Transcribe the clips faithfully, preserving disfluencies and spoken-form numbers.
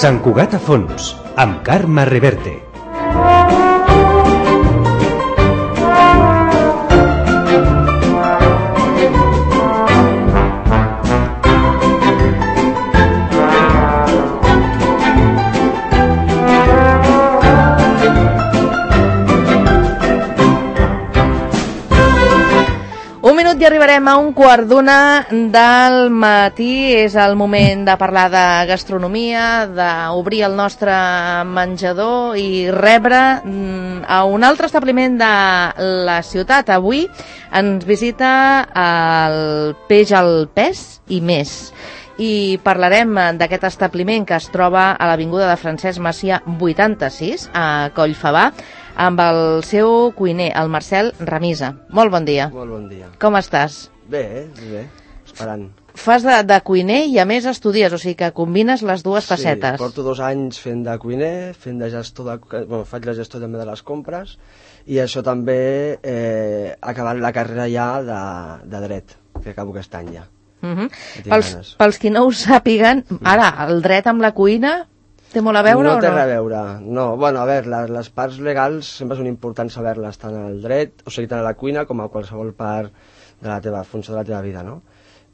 Sant Cugat a fons, amb Carme Reverte. I arribarem a un quart d'una del matí. És el moment de parlar de gastronomia, d'obrir el nostre menjador i rebre a un altre establiment de la ciutat. Avui ens visita el Peix al Pes i més. I parlarem d'aquest establiment que es troba a l'avinguda de Francesc Macià vuitanta-sis, a Collfabà, amb el seu cuiner, el Marcel Ramisa. Molt bon dia. Molt bon dia. Com estàs? Bé, bé, esperant. Fas de, de cuiner i a més estudies, o sigui que combines les dues facetes. Sí, porto dos anys fent de cuiner, fent de gestor de... Bueno, faig la gestió també de les compres i això també eh, acabant la carrera ja de, de dret, que acabo aquest any ja. Uh -huh. pels, pels qui no ho sàpiguen, ara, el dret amb la cuina té molt a veure no o no? No té res a veure, no. Bueno, a veure, les, les parts legals sempre són importants saber-les tant al dret, o sigui, tant a la cuina com a qualsevol part de la teva funció de la teva vida, no?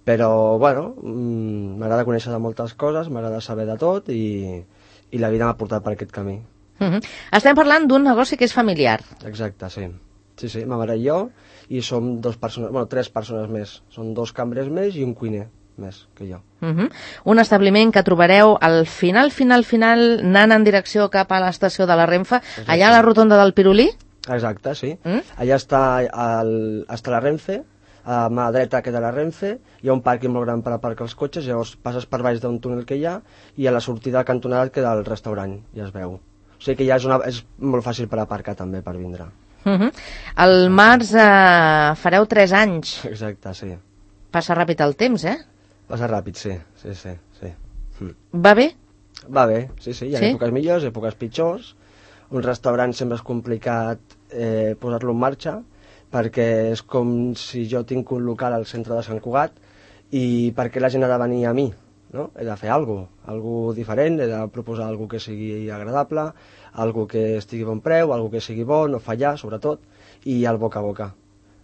Però, bueno, m'agrada conèixer de moltes coses, m'agrada saber de tot i, i la vida m'ha portat per aquest camí. Uh -huh. Estem parlant d'un negoci que és familiar. Exacte, sí. Sí, sí, ma mare i jo, i som dos persones, bueno, tres persones més. Són dos cambrers més i un cuiner més que jo. Uh -huh. Un establiment que trobareu al final, final, final, anant en direcció cap a l'estació de la Renfe, exacte, allà a la rotonda del Pirulí? Exacte, sí. Mm? Allà està, el, està la Renfe, a mà dreta queda la Renfe, hi ha un pàrquing molt gran per aparcar els cotxes, llavors passes per baix d'un túnel que hi ha, i a la sortida cantonada queda el restaurant, ja es veu. O sigui que ja és, una, és molt fàcil per aparcar també, per vindre. Uh -huh. Al març eh, fareu tres anys. Exacte, sí. Passa ràpid el temps, eh? Passa ràpid, sí, sí, sí. sí. Mm. Va bé? Va bé, sí, sí, hi ha sí? èpoques millors, èpoques pitjors. Un restaurant sempre és complicat eh, posar-lo en marxa, perquè és com si jo tinc un local al centre de Sant Cugat i perquè la gent ha de venir a mi, no? He de fer alguna cosa, alguna cosa diferent, he de proposar alguna cosa que sigui agradable, algo que estigui bon preu, algo que sigui bo, no fallar, sobretot, i el boca a boca.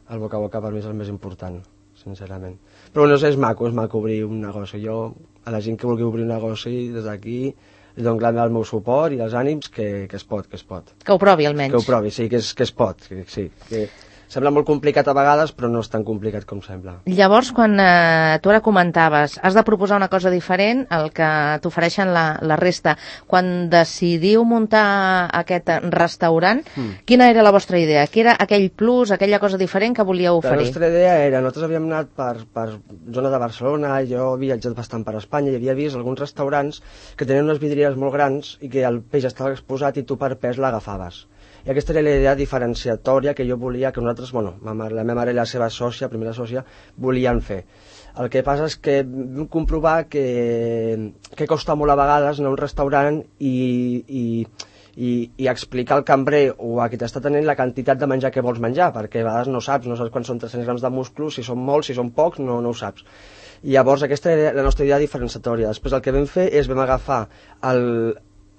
El boca a boca per mi és el més important, sincerament. Però no sé, és maco, és maco obrir un negoci. Jo, a la gent que vulgui obrir un negoci, des d'aquí, li dono el meu suport i els ànims que, que es pot, que es pot. Que ho provi, almenys. Que ho provi, sí, que es, que es pot, que, sí. Que sembla molt complicat a vegades, però no és tan complicat com sembla. Llavors, quan eh, tu ara comentaves, has de proposar una cosa diferent al que t'ofereixen la, la resta. Quan decidiu muntar aquest restaurant, mm. quina era la vostra idea? Què era aquell plus, aquella cosa diferent que volíeu oferir? La nostra idea era, nosaltres havíem anat per, per zona de Barcelona, jo he viatjat bastant per Espanya i havia vist alguns restaurants que tenien unes vidrieres molt grans i que el peix estava exposat i tu per pes l'agafaves. I aquesta era la idea diferenciatòria que jo volia que nosaltres, bueno, la meva mare i la seva sòcia, primera sòcia, volien fer. El que passa és que vam comprovar que, que costa molt a vegades anar a un restaurant i, i, i, i explicar al cambrer o a qui t'està tenint la quantitat de menjar que vols menjar, perquè a vegades no saps, no saps quan són tres-cents grams de musclos, si són molts, si són pocs, no, no ho saps. I llavors aquesta era la nostra idea diferenciatòria. Després el que vam fer és vam agafar el,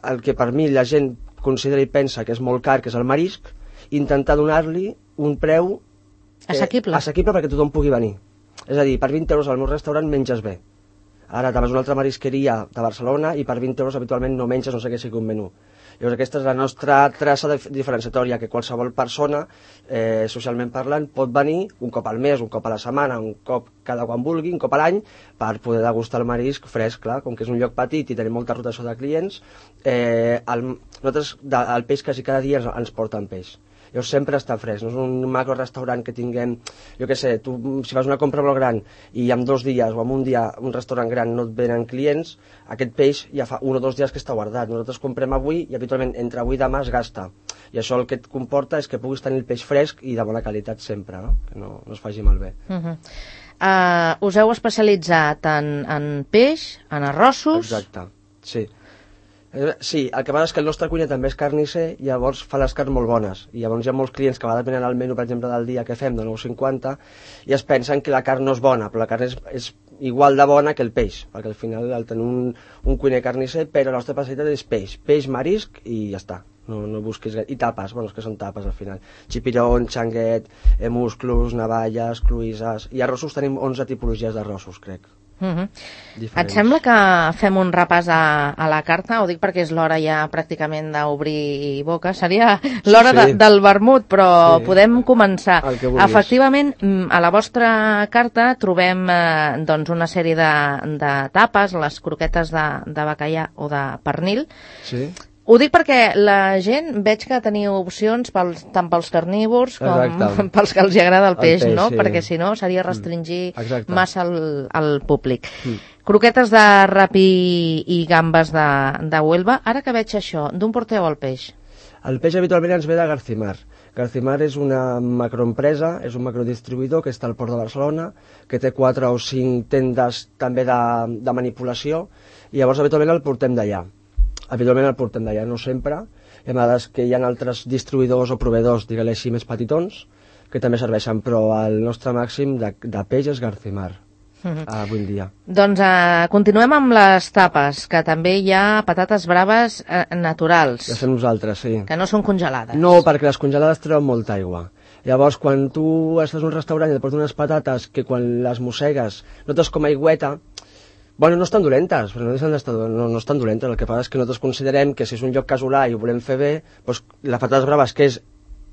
el que per mi la gent considera i pensa que és molt car, que és el marisc, i intentar donar-li un preu eh, assequible. assequible perquè tothom pugui venir. És a dir, per vint euros al meu restaurant menges bé. Ara te'n vas a una altra marisqueria de Barcelona i per vint euros habitualment no menges, no sé què sigui un menú. Llavors aquesta és la nostra traça diferenciatòria, que qualsevol persona, eh, socialment parlant, pot venir un cop al mes, un cop a la setmana, un cop cada quan vulgui, un cop a l'any, per poder degustar el marisc fresc, clar, com que és un lloc petit i tenim molta rotació de clients, eh, el, nosaltres de, el peix quasi cada dia ens, ens porten peix. Llavors sempre està fresc, no és un macro restaurant que tinguem, jo què sé, tu si fas una compra molt gran i en dos dies o en un dia un restaurant gran no et venen clients, aquest peix ja fa un o dos dies que està guardat. Nosaltres comprem avui i habitualment entre avui i demà es gasta. I això el que et comporta és que puguis tenir el peix fresc i de bona qualitat sempre, no? Que no, no es faci malbé. Uh -huh. uh, us heu especialitzat en, en peix, en arrossos... Exacte, sí. Sí, el que passa és que el nostre cuiner també és carnisser, llavors fa les carns molt bones. I llavors hi ha molts clients que a vegades venen al menú, per exemple, del dia que fem, de nou cinquanta, i es pensen que la carn no és bona, però la carn és, és igual de bona que el peix, perquè al final el tenim un, un cuiner carnisser, però la nostra especialitat és peix, peix, marisc i ja està. No, no busquis... I tapes, bueno, és que són tapes al final. Xipirón, xanguet, eh, musclos, navalles, cruïses... I arrossos tenim onze tipologies d'arrossos, crec. Uh-huh. Et sembla que fem un repàs a, a la carta? Ho dic perquè és l'hora ja pràcticament d'obrir boca. Seria l'hora sí, sí. de, del vermut, però sí. podem començar. Efectivament, a la vostra carta trobem eh, doncs una sèrie de, de tapes, les croquetes de, de bacallà o de pernil. Sí. Ho dic perquè la gent veig que teniu opcions pels, tant pels carnívors com Exacte. pels que els agrada el peix, el peix no? Sí. Perquè si no seria restringir mm. massa el, el públic. Mm. Croquetes de rapi i gambes de, de Huelva. Ara que veig això, d'on porteu el peix? El peix habitualment ens ve de Garcimar. Garcimar és una macroempresa, és un macrodistribuïdor que està al Port de Barcelona, que té quatre o cinc tendes també de, de manipulació, i llavors habitualment el portem d'allà. Habitualment el portem d'allà, no sempre. Hi ha vegades que hi ha altres distribuïdors o proveïdors, digue-li així, més petitons, que també serveixen, però el nostre màxim de, de peix és Garcimar, uh-huh. avui en dia. Doncs uh, continuem amb les tapes, que també hi ha patates braves uh, naturals. Les fem nosaltres, sí. Que no són congelades. No, perquè les congelades treuen molta aigua. Llavors, quan tu estàs en un restaurant i et porten unes patates que quan les mossegues notes com aigüeta, bueno, no estan dolentes, però no, no, no estan dolentes. El que passa és que nosaltres considerem que si és un lloc casolà i ho volem fer bé, doncs, les patates braves, que és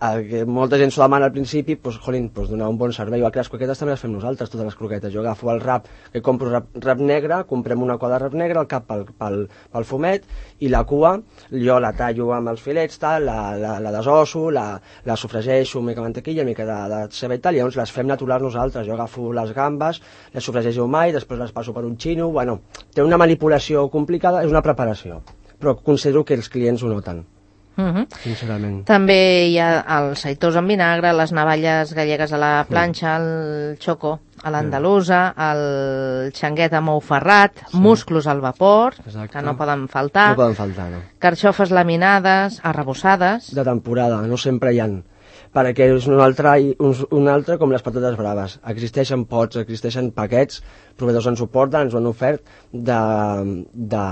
el que molta gent s'ho demana al principi, doncs, jolín, doncs, donar un bon servei. Igual que les croquetes també les fem nosaltres, totes les croquetes. Jo agafo el rap, que compro rap, rap negre, comprem una cua de rap negre, el cap pel, pel, pel fumet, i la cua jo la tallo amb els filets, tal, la, la, la desosso, la, la sofregeixo amb mica mantequilla, mica de, de ceba i tal, i llavors les fem naturals nosaltres. Jo agafo les gambes, les sofregeixo mai, després les passo per un xino, bueno, té una manipulació complicada, és una preparació, però considero que els clients ho noten. Uh-huh. Sincerament. També hi ha el seitós en vinagre, les navalles gallegues a la planxa, sí. el xoco a l'andalusa, el xanguet amb ou ferrat, sí. musclos al vapor, Exacte. que no poden faltar, no poden faltar no. carxofes laminades, arrebossades... De temporada, no sempre hi ha, perquè és un altre, un, un altre com les patates braves. Existeixen pots, existeixen paquets, proveïdors ens ho porten, ens ho han ofert, de, de,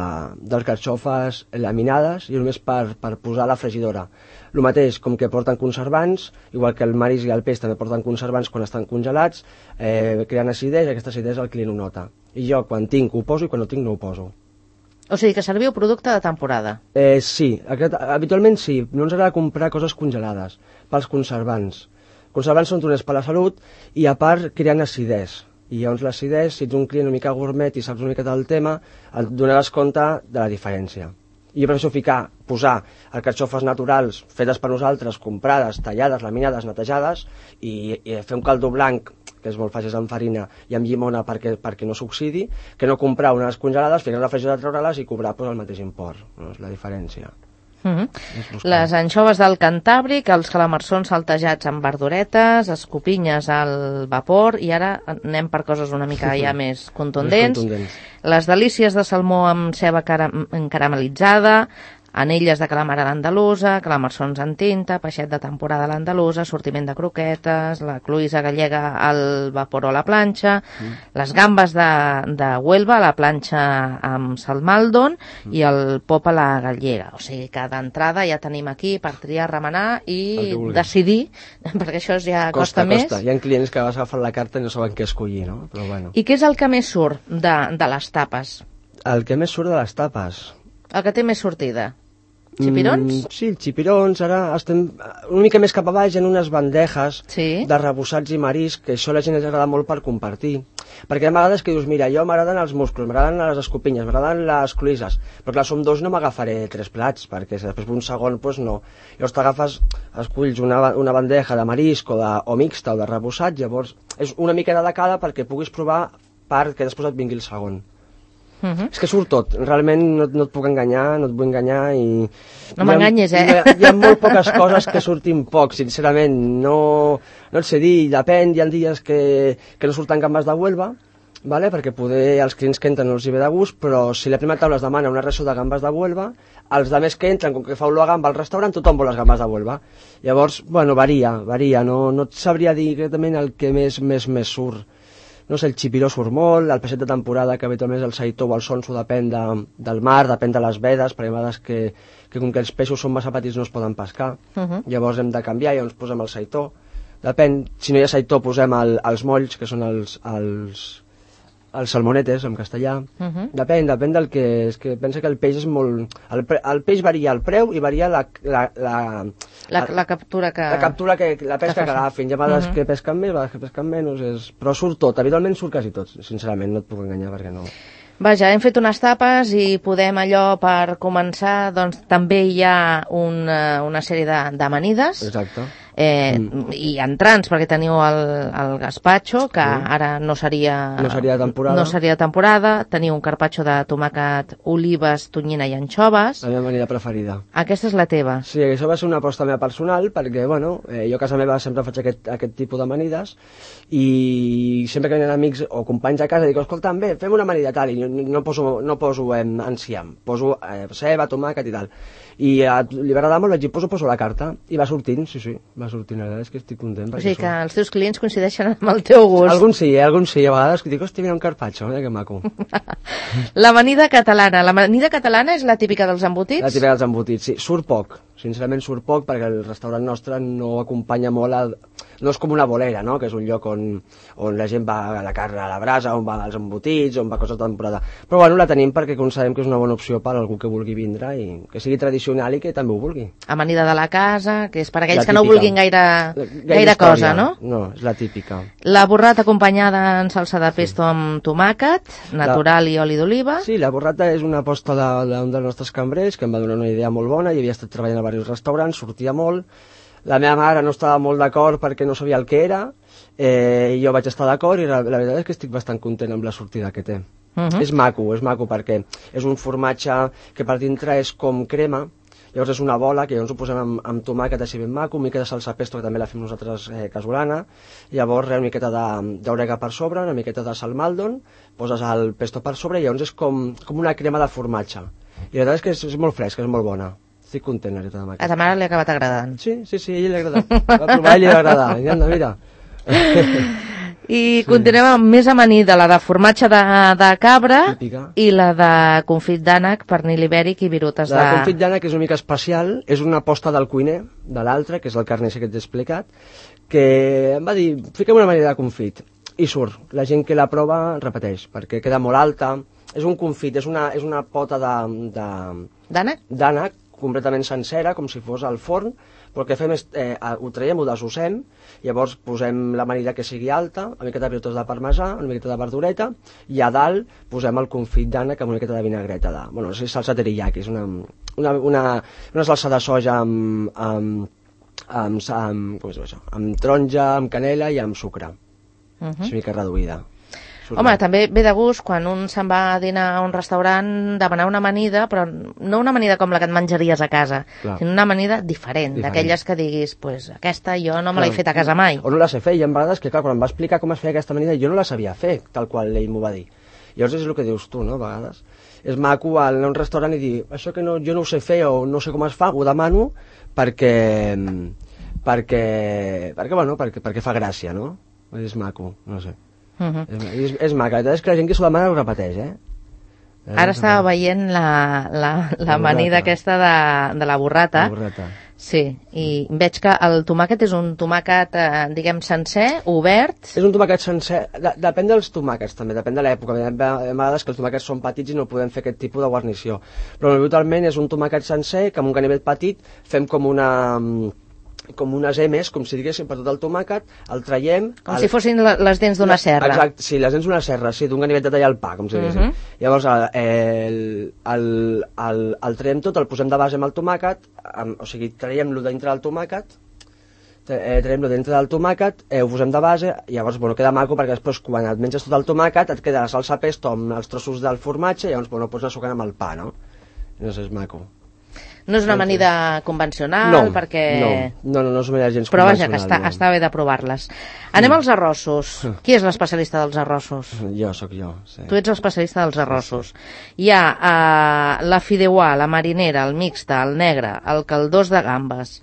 de carxofes laminades i només per, per posar a la fregidora. El mateix, com que porten conservants, igual que el marisc i el peix també porten conservants quan estan congelats, eh, creen acidesa, i aquesta acidesa el client ho nota. I jo, quan tinc, ho poso, i quan no tinc, no ho poso. O sigui que serviu producte de temporada. Eh, sí, aquest, habitualment sí. No ens agrada comprar coses congelades pels conservants. Conservants són dolents per la salut i a part creen acidès. I llavors l'acidès, si ets un client una mica gourmet i saps una mica del tema, et donaràs compte de la diferència. I jo prefereixo ficar, posar els carxofes naturals fetes per nosaltres, comprades, tallades, laminades, netejades, i, i fer un caldo blanc, que és molt fàcil amb farina i amb llimona perquè, perquè no s'oxidi, que no comprar unes congelades, ficar a la fregidora, treure-les i cobrar pues, el mateix import. No? És la diferència. Uh-huh. Les anxoves del Cantàbric, els calamarsons saltejats amb verduretes, escopinyes al vapor, i ara anem per coses una mica ja més contundents. més contundents. Les delícies de salmó amb ceba caram caramelitzada, anelles de calamar a l'andalusa, calamarsons en tinta, peixet de temporada a l'andalusa, sortiment de croquetes, la cloïssa gallega al vapor o a la planxa, mm. les gambes de, de Huelva a la planxa amb salmaldon mm. i el pop a la gallega. O sigui que d'entrada ja tenim aquí per triar, remenar i decidir, perquè això ja costa, costa més. Costa. Hi ha clients que vas agafar la carta i no saben què escollir, no? Però bueno. I què és el que més surt de, de les tapes? El que més surt de les tapes? El que té més sortida? Xipirons? Mm, sí, xipirons. Ara estem una mica més cap a baix en unes bandejes sí? de rebossats i marisc, que això a la gent els agrada molt per compartir. Perquè hi ha vegades que dius, mira, jo m'agraden els musclos, m'agraden les escopinyes, m'agraden les cloïsses, però clar, som dos, no m'agafaré tres plats, perquè si després un segon, doncs no. Llavors t'agafes, esculls una, una bandeja de marisc o, de, o mixta o de rebossat, llavors és una mica de cada perquè puguis provar perquè després et vingui el segon. Uh-huh. És que surt tot, realment no, no et puc enganyar, no et vull enganyar i... No m'enganyes, eh? Hi ha, hi ha molt poques coses que surtin poc, sincerament, no, no et sé dir, depèn, hi ha dies que, que no surten gambes de Huelva, vale? Perquè poder els clients que entren no els hi ve de gust, però si la primera taula es demana una ració de gambes de Huelva, els de més que entren, com que fa olor a gamba al restaurant, tothom vol les gambes de Huelva. Llavors, bueno, varia, varia, no, no et sabria dir exactament el que més, més, més surt. no sé, el xipiró surt molt, el peixet de temporada, que habitualment és el saitó o el sonso, depèn de, del mar, depèn de les vedes, perquè hi ha vegades que, que com que els peixos són massa petits no es poden pescar, uh -huh. llavors hem de canviar i llavors posem el saitó. Depèn, si no hi ha saitó posem el, els molls, que són els, els, els salmonetes en castellà. Uh -huh. Depèn, depèn del que és, que pensa que el peix és molt... El, el peix varia el preu i varia la... La, la, la, la captura que... La captura, que, la pesca que agafin. Hi ha vegades uh -huh. que pesquen més, vegades que pesquen menys, és... però surt tot, habitualment surt quasi tot, sincerament, no et puc enganyar perquè no... Vaja, hem fet unes tapes i podem allò per començar, doncs també hi ha una, una sèrie d'amanides. Exacte. Eh, mm. I entrants, perquè teniu el, el gazpacho, que mm. ara no seria... No seria temporada. No seria temporada. Teniu un carpaccio de tomàquet, olives, tonyina i anxoves. La meva amanida preferida. Aquesta és la teva. Sí, això va ser una aposta meva personal, perquè, bueno, eh, jo a casa meva sempre faig aquest, aquest tipus d'amanides, i sempre que venen amics o companys a casa dic, escolta, bé, fem una amanida tal, i no poso, no poso eh, enciam, poso eh, ceba, tomàquet i tal. I eh, li va agradar molt, vaig dir, poso, poso la carta, i va sortint, sí, sí, va sortint, la veritat és que estic content. O sigui que els teus clients coincideixen amb el teu gust. Alguns sí, eh, alguns sí, a vegades dic, hòstia, mira un carpaccio, mira que maco. L'amanida catalana, l'amanida catalana és la típica dels embotits? La típica dels embotits, sí, surt poc, sincerament surt poc, perquè el restaurant nostre no acompanya molt a... No és com una bolera, no?, que és un lloc on, on la gent va a la carn a la brasa, on va als embotits, on va coses de temporada. Però bueno, la tenim perquè considerem que és una bona opció per a algú que vulgui vindre i que sigui tradicional i que també ho vulgui. Amanida de la casa, que és per aquells que no vulguin gaire, gaire, gaire cosa, no? No, és la típica. La burrata acompanyada en salsa de pesto amb tomàquet, natural la... i oli d'oliva. Sí, la burrata és una aposta d'un dels nostres cambrers que em va donar una idea molt bona, i havia estat treballant a diversos restaurants, sortia molt. La meva mare no estava molt d'acord perquè no sabia el que era, eh, i jo vaig estar d'acord, i la, la veritat és que estic bastant content amb la sortida que té. Uh -huh. És maco, és maco perquè és un formatge que per dintre és com crema, llavors és una bola que llavors ho posem amb, amb tomàquet així ben maco, una mica de salsa pesto que també la fem nosaltres eh, casolana, llavors una miqueta d'orega per sobre, una miqueta de salmaldon, poses el pesto per sobre i llavors és com, com una crema de formatge. I la veritat és que és, és molt fresca, és molt bona. Estic content, la veritat, amb aquesta. A ta mare li ha acabat agradant. Sí, sí, sí, a ella li ha agradat. Va provar i li va agradar. I anda, mira. I sí. Continuem amb més amanida, la de formatge de, de cabra. Típica. I la de confit d'ànec, pernil ibèric i virutes de... La de confit d'ànec és una mica especial, és una aposta del cuiner, de l'altre, que és el carnisser que t'he explicat, que em va dir, fiquem una amanida de confit, i surt. La gent que la prova repeteix, perquè queda molt alta. És un confit, és una, és una pota de... D'ànec? D'ànec, completament sencera, com si fos al forn, però el que fem és, eh, ho traiem, ho desossem, llavors posem l'amanida que sigui alta, una miqueta de virutes de parmesà, una miqueta de verdureta, i a dalt posem el confit d'ànec amb una miqueta de vinagreta, de, bueno, és salsa teriyaki, és una, una, una, una salsa de soja amb, amb, amb, amb, com és això? Amb taronja, amb canela i amb sucre, uh -huh. És una mica reduïda. Home, també ve de gust quan un se'n va a dinar a un restaurant demanar una amanida, però no una amanida com la que et menjaries a casa, clar, sinó una amanida diferent, diferent. D'aquelles que diguis, pues aquesta jo no me l'he fet a casa mai. O no la sé fer, i en vegades que, clar, quan em va explicar com es feia aquesta amanida, jo no la sabia fer, tal qual ell m'ho va dir. Llavors és el que dius tu, no?, a vegades. És maco anar a un restaurant i dir, això que no, jo no ho sé fer o no sé com es fa, ho demano perquè, perquè, perquè, bueno, perquè, perquè fa gràcia, no? És maco, no sé. Uh -huh. és, és maca, la veritat és que la gent que s'ho demana ho repeteix, eh? Ara estava veient la, la, la amanida aquesta de, de la burrata. La burrata. Sí, i veig que el tomàquet és un tomàquet, eh, diguem, sencer, obert. És un tomàquet sencer, de, depèn dels tomàquets també, depèn de l'època. Hi ha vegades que els tomàquets són petits i no podem fer aquest tipus de guarnició. Però habitualment és un tomàquet sencer que amb un ganivet petit fem com una... com unes emes, com si diguéssim, per tot el tomàquet, el traiem... Com el... si fossin les dents d'una serra. Exacte, sí, les dents d'una serra, sí, d'un ganivet de tallar el pa, com si diguéssim. Uh -huh. Llavors, el, el, el, el traiem tot, el posem de base amb el tomàquet, amb, o sigui, traiem-lo dintre del tomàquet, eh, traiem-lo dintre del tomàquet, eh, ho posem de base, i llavors, bueno, queda maco, perquè després, quan et menges tot el tomàquet, et queda la salsa pesto amb els trossos del formatge, i llavors, bueno, pots anar sucant amb el pa, no? No sé, és maco. No és una amanida convencional, no, perquè... No, no, no és una amanida gens però vaja, convencional. Però vaja, que està, està bé de provar-les. Anem mm. als arrossos. Qui és l'especialista dels arrossos? Jo, sóc jo, sí. Tu ets l'especialista dels arrossos. Sí, sí. Hi ha uh, la fideuà, la marinera, el mixta, el negre, el caldós de gambes,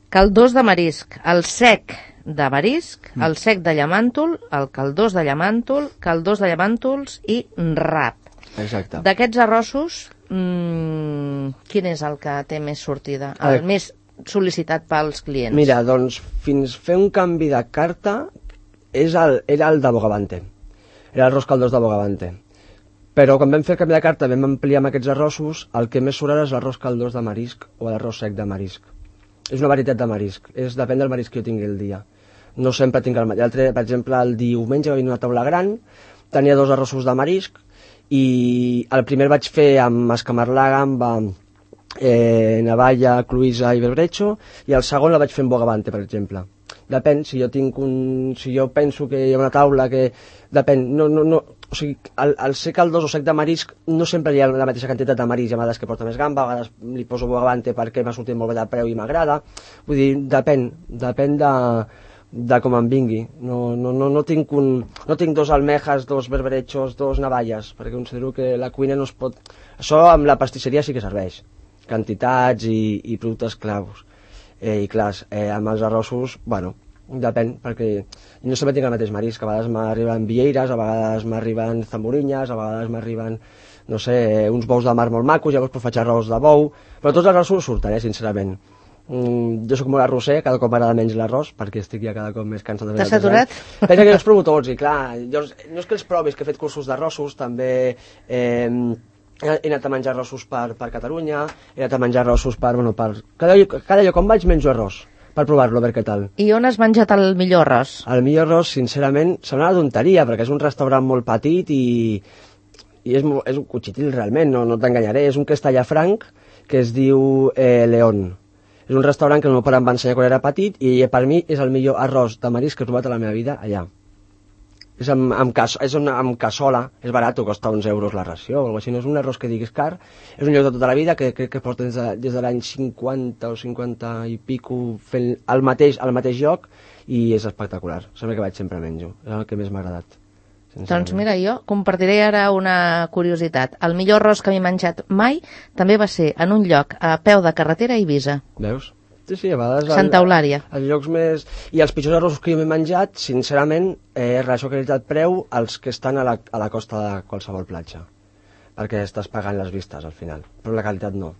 caldós de marisc, el sec de marisc, mm. el sec de llamàntol, el caldós de llamàntol, caldós de llamàntols i rap. Exacte. D'aquests arrossos, mmm, quin és el que té més sortida, el eh. més sol·licitat pels clients? Mira, doncs, fins fer un canvi de carta és el, era el de Bogavante. Era l'arròs caldós de Bogavante. Però quan vam fer el canvi de carta, vam ampliar amb aquests arrossos, el que més surt ara és l'arròs caldós de marisc o l'arròs sec de marisc. És una varietat de marisc, és, depèn del marisc que jo tingui el dia. No sempre tinc el mateix. Per exemple, el diumenge va venir una taula gran, tenia dos arrossos de marisc, i el primer vaig fer amb escamarlaga, amb eh, navalla, cloïssa i berbrecho, i el segon la vaig fer amb Bogavante, per exemple. Depèn, si jo tinc un... si jo penso que hi ha una taula que... Depèn, no... no, no o sigui, el, el sec caldós o sec de marisc no sempre hi ha la mateixa quantitat de marisc, hi ha vegades que porta més gamba, a vegades li poso Bogavante perquè m'ha sortit molt bé de preu i m'agrada, vull dir, depèn, depèn de, de com em vingui, no, no, no, no, tinc un, no tinc dos almejas, dos berberechos, dos navalles, perquè considero que la cuina no es pot... Això amb la pastisseria sí que serveix, quantitats i, i productes claus, eh, i clars, eh, amb els arrossos, bueno, depèn, perquè no sempre tinc el mateix marisc, a vegades m'arriben vieires, a vegades m'arriben zamborinyes, a vegades m'arriben, no sé, uns bous de mar molt macos, llavors pues, faig arròs de bou, però tots els arrossos surten, eh, sincerament. Mm, jo soc molt arrosser, cada cop m'agrada menys l'arròs, perquè estic ja cada cop més cansat de fer. T'has saturat? Pensa que jo els provo tots, i clar, jo, no és que els provis, que he fet cursos d'arrossos, també... Eh, he anat a menjar arrossos per, per Catalunya, he anat a menjar arrossos per... Bueno, per cada, cada lloc on vaig menjo arròs, per provar-lo, a veure què tal. I on has menjat el millor arròs? El millor arròs, sincerament, sembla una tonteria, perquè és un restaurant molt petit i, i és, és un cotxitil realment, no, no t'enganyaré, és un castellafranc que es diu eh, León. És un restaurant que el meu pare em va ensenyar quan era petit i per mi és el millor arròs de marisc que he trobat a la meva vida allà. És amb, amb, cas, és una, amb cassola, és barat, costa uns euros la ració, o així, no és un arròs que diguis car, és un lloc de tota la vida que crec que porta des de, des de l'any cinquanta o cinquanta i pico fent el mateix, al mateix lloc, i és espectacular, sempre que vaig sempre menjo, és el que més m'ha agradat. Doncs mira, jo compartiré ara una curiositat. El millor arròs que m'he menjat mai també va ser en un lloc a peu de carretera a Eivissa. Veus? Sí, sí, a vegades... Santa Eulària. Els llocs més... I els pitjors arrossos que jo m'he menjat, sincerament, eh, relació qualitat-preu, els que estan a la, a la costa de qualsevol platja. Perquè estàs pagant les vistes, al final. Però la qualitat no.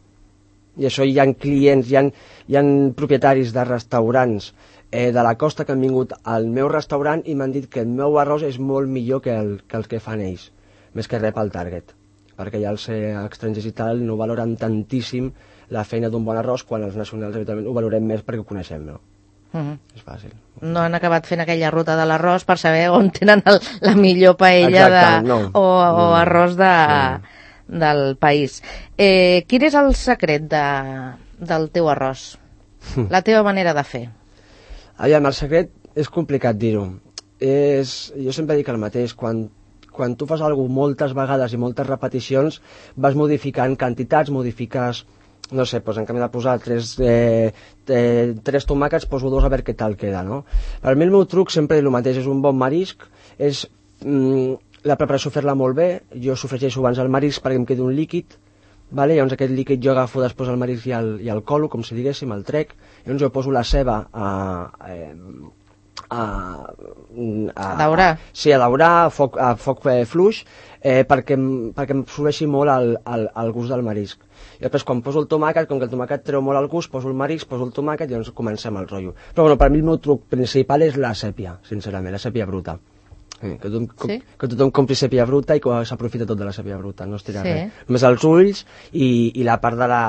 I això hi ha clients, hi ha, hi ha propietaris de restaurants eh, de la costa que han vingut al meu restaurant i m'han dit que el meu arròs és molt millor que el que, el que fan ells, més que res pel target. Perquè ja els eh, estrangers i tal no valoren tantíssim la feina d'un bon arròs, quan els nacionals habitualment ho valorem més perquè ho coneixem, no? Uh -huh. És fàcil. No han acabat fent aquella ruta de l'arròs per saber on tenen el, la millor paella Exacte, de, no. o, o no. arròs de, no. del país. Eh, quin és el secret de, del teu arròs? La teva manera de fer? Aviam, el secret és complicat dir-ho. És... Jo sempre dic el mateix, quan quan tu fas alguna cosa moltes vegades i moltes repeticions, vas modificant quantitats, modifiques... No sé, doncs en canvi de posar tres, eh, eh, tres tomàquets, poso dos a veure què tal queda, no? Per mi el meu truc sempre és el mateix, és un bon marisc, és mm, la preparació fer-la molt bé, jo sofregeixo abans el marisc perquè em quedi un líquid, vale? Llavors aquest líquid jo agafo després el marisc i el, i el colo, com si diguéssim, el trec, llavors jo poso la ceba a... Eh, a, a daurar. A, sí, a daurar, a foc, a foc eh, fluix, eh, perquè, perquè em absorbeixi molt el, el, el gust del marisc. I després quan poso el tomàquet, com que el tomàquet treu molt el gust, poso el marisc, poso el tomàquet i llavors comencem el rotllo. Però bueno, per mi el meu truc principal és la sèpia, sincerament, la sèpia bruta. Eh, que, tothom, sí? que tothom compri sèpia bruta i que s'aprofita tot de la sèpia bruta, no es tira sí. res. Només els ulls i, i la part de, la,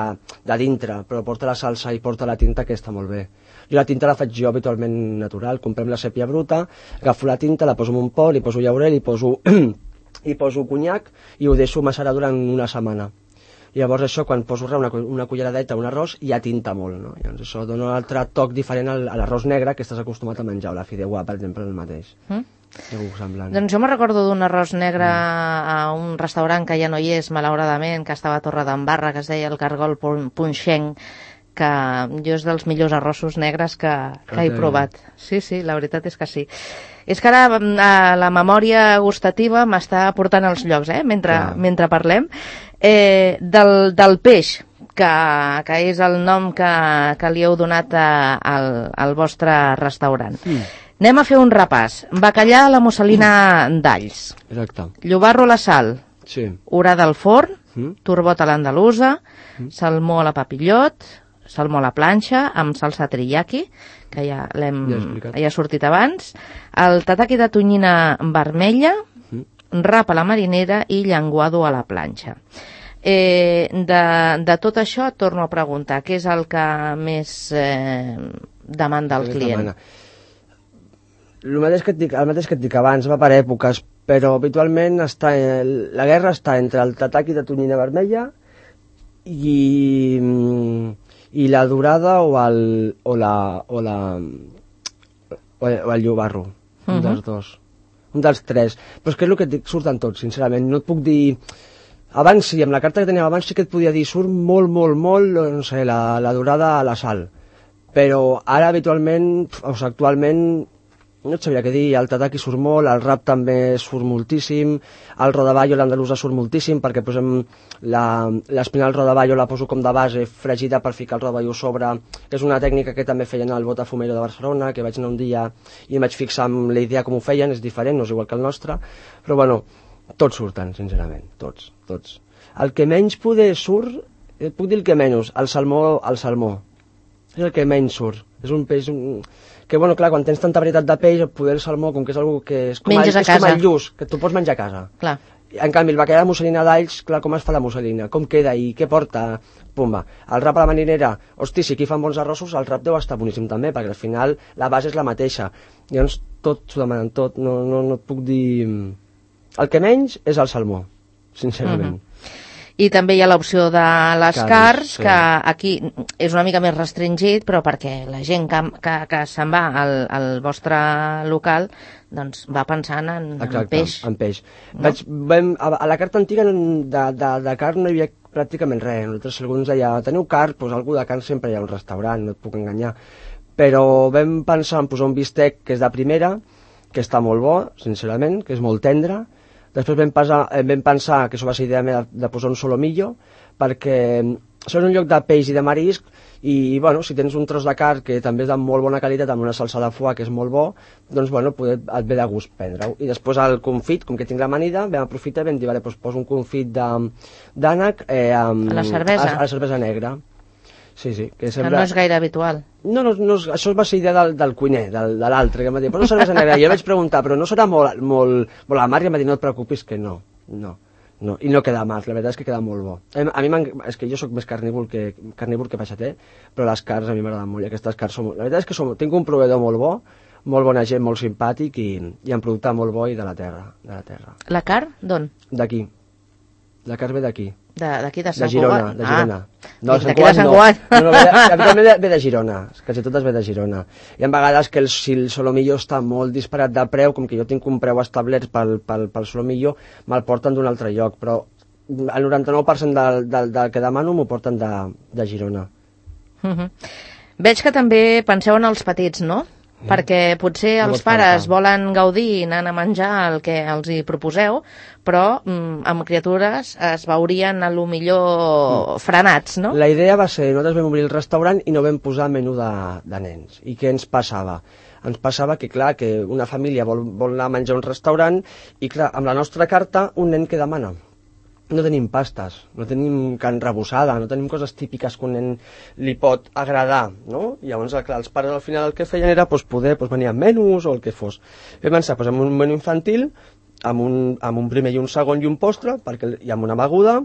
de dintre, però porta la salsa i porta la tinta, que està molt bé. Jo la tinta la faig jo habitualment natural, comprem la sèpia bruta, agafo la tinta, la poso en un pot, li poso llaurel, li poso, li poso conyac i ho deixo macerar durant una setmana. I llavors això, quan poso res, una, una culleradeta, un arròs, ja tinta molt, no? Llavors això dona un altre toc diferent al, a l'arròs negre que estàs acostumat a menjar, o la fideuà, per exemple, el mateix. Mm? Doncs jo me recordo d'un arròs negre mm. a un restaurant que ja no hi és, malauradament, que estava a Torredembarra, que es deia el Cargol Punxenc, que jo és dels millors arrossos negres que, que he provat. Sí, sí, la veritat és que sí. És que ara la memòria gustativa m'està portant als llocs, eh? mentre, mentre parlem. Eh, del, del peix, que, que és el nom que, que li heu donat a, al, al vostre restaurant. Mm. Anem a fer un repàs. Bacallà a la musselina mm. d'alls. Exacte. Llobarro a la sal. Sí. Orada al forn. Mm. Turbot a l'andalusa. Mm. Salmó a la papillot. Salmó a la planxa amb salsa teriyaki, que ja l'hem ja, ja ha sortit abans. El tataki de tonyina vermella. Mm. Rap a la marinera i llenguado a la planxa. Eh, de, de tot això et torno a preguntar, què és el que més eh, demanda el client? El mateix, que et dic, el mateix que et dic abans, va per èpoques, però habitualment està, la guerra està entre el tataki de tonyina vermella i, i la dorada o el, o la, o la, o el llobarro, uh-huh. un dels dos, un dels tres. Però és que és el que et dic, surten tots, sincerament, no et puc dir... Abans sí, amb la carta que teníem abans sí que et podia dir surt molt, molt, molt, no sé, la, la dorada a la sal. Però ara habitualment, o sigui, actualment, no et sabria què dir, el tataki surt molt, el rap també surt moltíssim, el rodaballo, l'andalusa surt moltíssim, perquè posem l'espinal rodaballo, la poso com de base fregida per ficar el rodaballo sobre, que és una tècnica que també feien al Botafumeiro de Barcelona, que vaig anar un dia i em vaig fixar amb la idea com ho feien, és diferent, no és igual que el nostre, però bueno, tots surten, sincerament, tots, tots. El que menys poder surt, et puc dir el que menys, el salmó, el salmó. És el que menys surt. És un peix un... que, bueno, clar, quan tens tanta varietat de peix, poder el salmó, com que és algo que és com, el, és com el lluç, que tu pots menjar a casa. Clar. En canvi, el bacallà de musselina d'alls, clar, com es fa la musselina? Com queda i què porta? Pumba. El rap a la marinera, hosti, si aquí fan bons arrossos, el rap deu estar boníssim també, perquè al final la base és la mateixa. Llavors, tot s'ho demanen, tot, no, no, no et puc dir... El que menys és el salmó, sincerament. Uh-huh. I també hi ha l'opció de les carns, carns sí. que aquí és una mica més restringit, però perquè la gent que, que, que se'n va al, al vostre local doncs va pensant en, Exacte, en peix. en peix. No? Vaig, vam, a, a la carta antiga de, de, de carn no hi havia pràcticament res. Nosaltres, si algú ens deia, teniu carn? Doncs algú de carn sempre hi ha un restaurant, no et puc enganyar. Però vam pensar en posar un bistec que és de primera, que està molt bo, sincerament, que és molt tendre. Després vam, pasar, vam pensar, que això va ser idea meva, de posar un solomillo, perquè això és un lloc de peix i de marisc, i, bueno, si tens un tros de carn que també és de molt bona qualitat, amb una salsa de foie que és molt bo, doncs, bueno, poder, et ve de gust prendre-ho. I després el confit, com que tinc l'amanida, vam aprofitar i vam dir, vale, doncs poso un confit d'ànec eh, amb... A la cervesa? A, a la cervesa negra. Sí, sí. Que, sembla... que no és gaire habitual. No, no, no, això va ser idea del, del cuiner, del, de l'altre, que em va dir, però no cervesa negra. I jo vaig preguntar, però no serà molt, molt, molt amarg? I em va dir, no et preocupis, que no, no, no. I no queda amarg, la veritat és que queda molt bo. A mi és que jo sóc més carnívor que, carnívor que peixater, però les carns a mi m'agraden molt, i aquestes carns són... La veritat és que som, tinc un proveïdor molt bo, molt bona gent, molt simpàtic, i, i en producte molt bo i de la terra. De la terra. La carn, d'on? D'aquí. La carn ve d'aquí. D'aquí de, de Sant Girona, de Girona. Ah, no, de Sant Cugat no. no, no ve, de, ve, de, ve de Girona, quasi totes ve de Girona. Hi ha vegades que el, si el solomillo està molt disparat de preu, com que jo tinc un preu establert pel, pel, pel solomillo, me'l porten d'un altre lloc, però el noranta-nou per cent del, del, del que demano m'ho porten de, de Girona. Uh -huh. Veig que també penseu en els petits, no? Perquè potser els pares volen gaudir anant a menjar el que els hi proposeu, però mm, amb criatures es veurien a lo millor frenats, no? La idea va ser, nosaltres vam obrir el restaurant i no vam posar menú de, de nens. I què ens passava? Ens passava que, clar, que una família vol, vol anar a menjar a un restaurant i, clar, amb la nostra carta, un nen que demana? No tenim pastes, no tenim carn rebossada, no tenim coses típiques que un nen li pot agradar, no? I llavors, clar, els pares al final el que feien era pues, poder pues, venir amb menús o el que fos. Vam pensar pues, amb un menú infantil, amb un, amb un primer i un segon i un postre, perquè hi ha una beguda,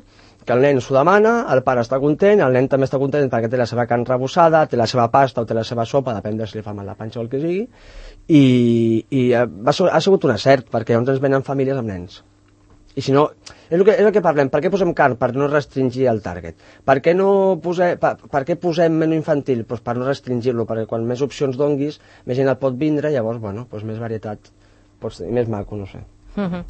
que el nen s'ho demana, el pare està content, el nen també està content perquè té la seva carn rebossada, té la seva pasta o té la seva sopa, depèn de si li fa mal la panxa o el que sigui, i, i va, ha sigut un acert, perquè llavors ens venen famílies amb nens. I si no, és el, que, és el que parlem, per què posem carn? Per no restringir el target. Per què, no pose, per, per què posem menú infantil? Pues per no restringir-lo, perquè quan més opcions donguis, més gent el pot vindre, llavors, bueno, pues més varietat, pots tenir, més maco, no sé. Uh -huh.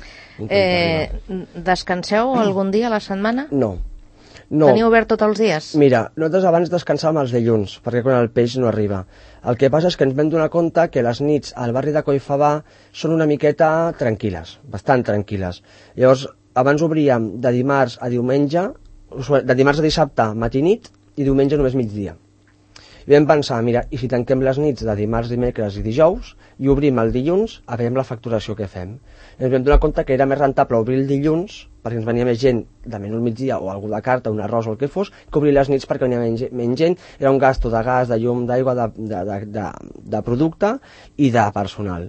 eh, descanseu algun dia a la setmana? No. no. Teniu obert tots els dies? Mira, nosaltres abans descansàvem els dilluns, perquè quan el peix no arriba. El que passa és que ens vam donar compte que les nits al barri de Collfabà són una miqueta tranquil·les, bastant tranquil·les. Llavors, abans obríem de dimarts a diumenge, de dimarts a dissabte, matí i nit, i diumenge només migdia. I vam pensar, mira, i si tanquem les nits de dimarts, dimecres i dijous i obrim el dilluns, a veure la facturació que fem. I ens vam donar compte que era més rentable obrir el dilluns, perquè ens venia més gent de menú al migdia o algú de carta, un arròs o el que fos, que obrir les nits perquè venia menys, menys gent, era un gasto de gas, de llum, d'aigua, de, de, de, de, de producte i de personal.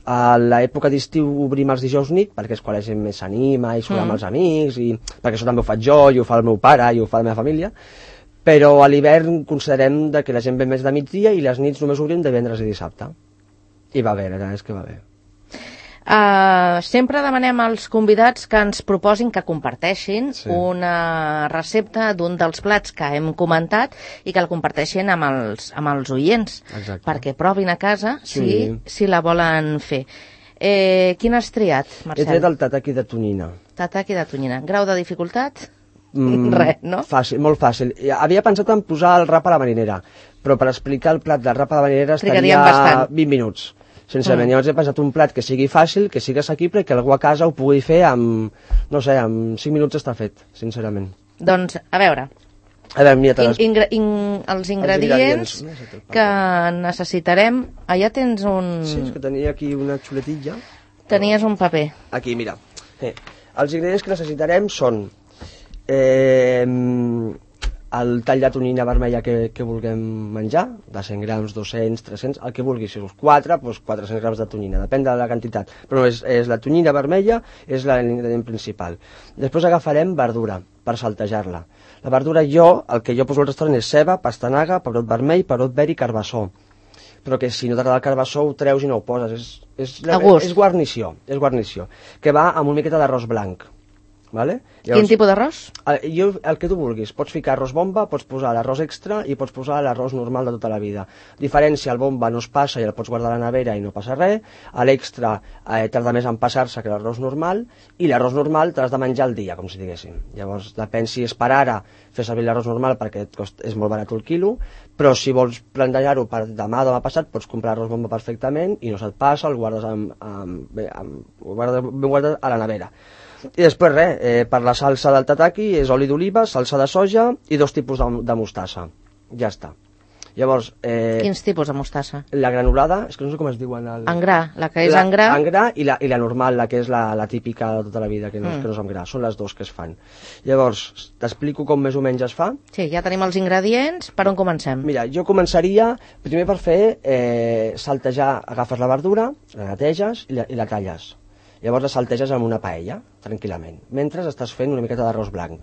A l'època d'estiu obrim els dijous nit, perquè és quan la gent més s'anima i surt amb Mm. els amics, i perquè això també ho faig jo, i ho fa el meu pare, i ho fa la meva família, però a l'hivern considerem de que la gent ve més de migdia i les nits només obrim divendres i dissabte. I va bé, la veritat és que va bé. Uh, sempre demanem als convidats que ens proposin, que comparteixin Sí. una recepta d'un dels plats que hem comentat i que el comparteixin amb els, amb els oients, Exacte. perquè provin a casa si, Sí. si la volen fer. Eh, quin has triat, He Marcel? tret el tataki de tonyina. Tataki de tonyina. Grau de dificultat? Mm, Res, no? Fàcil, molt fàcil. Havia pensat en posar el rap a la marinera, però per explicar el plat del rap a la marinera Trigaríem estaria bastant. vint minuts. Sincerament, Mm. llavors he pensat un plat que sigui fàcil, que sigui assequible i que algú a casa ho pugui fer amb, no sé, amb cinc minuts està fet, sincerament. Doncs, a veure, A veure, mira, te in, les... ingre, in, els ingredients ingredients. No sé, te'l passo. que necessitarem... Allà tens un... Sí, és que tenia aquí una xuletilla. Tenies un paper. Aquí, mira. Eh, els ingredients que necessitarem són eh, el tall de tonyina vermella que, que vulguem menjar, de cent grams, dos-cents, tres-cents, el que vulguis. Si us quatre, doncs quatre-cents grams de tonyina, depèn de la quantitat. Però és, és la tonyina vermella, és l'ingredient principal. Després agafarem verdura per saltejar-la. La verdura jo, el que jo poso al restaurant és ceba, pastanaga, pebrot vermell, pebrot verd i carbassó. Però que si no t'agrada el carbassó ho treus i no ho poses. És, és, A gust. és guarnició, és guarnició. Que va amb una miqueta d'arròs blanc. Vale? Quin tipus d'arròs? El, jo, el que tu vulguis, pots ficar arròs bomba, pots posar l'arròs extra i pots posar l'arròs normal de tota la vida. Diferència, el bomba no es passa i el pots guardar a la nevera i no passa res, a l'extra eh, tarda més en passar-se que l'arròs normal, i l'arròs normal t'has de menjar al dia, com si diguéssim. Llavors, depèn si és per ara fer servir l'arròs normal perquè et cost, és molt barat el quilo, però si vols plantejar-ho per demà o demà passat, pots comprar arròs bomba perfectament i no se't passa, el guardes, amb, amb, bé, amb, ho guardes ben guardat a la nevera. I després res, eh, per la salsa del tataki és oli d'oliva, salsa de soja i dos tipus de, de mostassa. Ja està. Llavors, eh, Quins tipus de mostassa? la granulada, és que no sé com es diuen... El... En gra, la que és la, en gra. En gra i la, i la normal, la que és la, la típica de tota la vida, que no, Mm. que no és amb gra. Són les dues que es fan. Llavors, t'explico com més o menys es fa. Sí, ja tenim els ingredients. Per on comencem? Mira, jo començaria primer per fer eh, saltejar, agafes la verdura, la neteges i la, i la talles. Llavors la salteges amb una paella, tranquil·lament, mentre estàs fent una miqueta d'arròs blanc.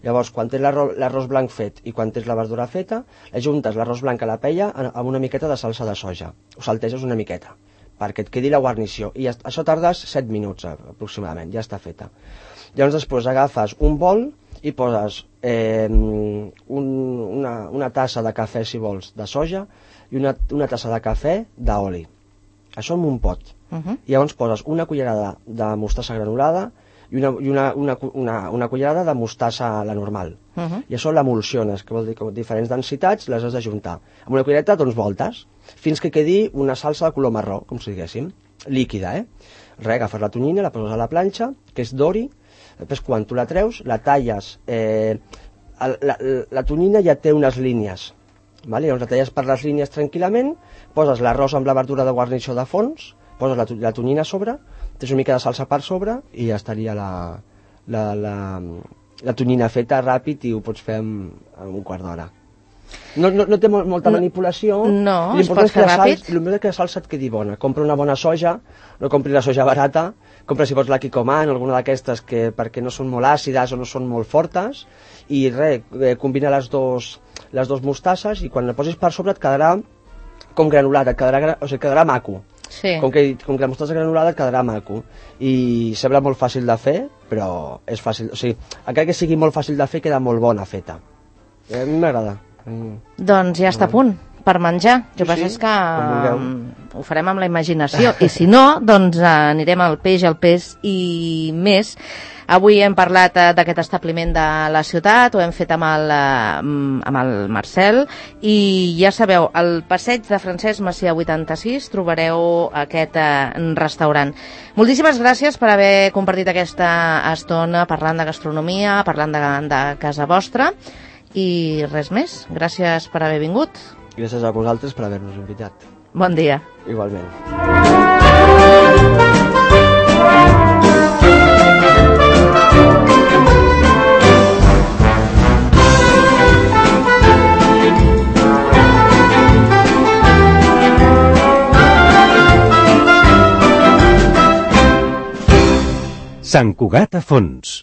Llavors, quan tens l'arròs l'arròs blanc fet i quan tens la verdura feta, ajuntes l'arròs blanc a la paella amb una miqueta de salsa de soja. Ho salteges una miqueta, perquè et quedi la guarnició. I ja, això tardes set minuts aproximadament, ja està feta. Llavors després agafes un bol i poses eh, un, una, una tassa de cafè, si vols, de soja i una, una tassa de cafè d'oli. Això en un pot. Uh -huh. I llavors poses una cullerada de mostassa granulada i una, i una, una, una, una cullerada de mostassa la normal. Uh -huh. I això l'emulsiones, que vol dir que amb diferents densitats les has d'ajuntar. Amb una cullereta doncs voltes, fins que quedi una salsa de color marró, com si diguéssim, líquida, eh? Res, agafes la tonyina, la poses a la planxa, que és d'ori, després quan tu la treus, la talles, eh, la, la, la tonyina ja té unes línies, vale? Llavors la talles per les línies tranquil·lament, poses l'arròs amb la verdura de guarnició de fons, poses la, la tonyina a sobre, tens una mica de salsa per sobre i ja estaria la, la, la, la tonyina feta ràpid i ho pots fer en, en un quart d'hora. No, no, no té molt, molta No, manipulació. no, es L'important pot és que fer la ràpid. salsa, l'important és que la salsa et quedi bona. Compra una bona soja, no compri la soja barata, compra si pots la Kikkoman o alguna d'aquestes que perquè no són molt àcides o no són molt fortes, i res, eh, combina les dos, les dos mostasses i quan la posis per sobre et quedarà com granulada, et quedarà, gra- o sigui, quedarà maco. Sí. Com que, com que la mostassa granulada et quedarà maco. I sembla molt fàcil de fer, però és fàcil. O sigui, encara que sigui molt fàcil de fer, queda molt bona feta. Eh, A mi m'agrada. Mm. Doncs ja està a punt. per menjar. El que Sí, passa sí, és que com vulgueu. mm, ho farem amb la imaginació. I si no, doncs eh, anirem al peix, al peix i més. Avui hem parlat eh, d'aquest establiment de la ciutat, ho hem fet amb el, eh, amb el Marcel, i ja sabeu, al passeig de Francesc Macià vuitanta-sis trobareu aquest eh, restaurant. Moltíssimes gràcies per haver compartit aquesta estona parlant de gastronomia, parlant de, de casa vostra, i res més. Gràcies per haver vingut. Gràcies a vosaltres per haver-nos invitat. Bon dia. Igualment. Sant Cugat a Fons.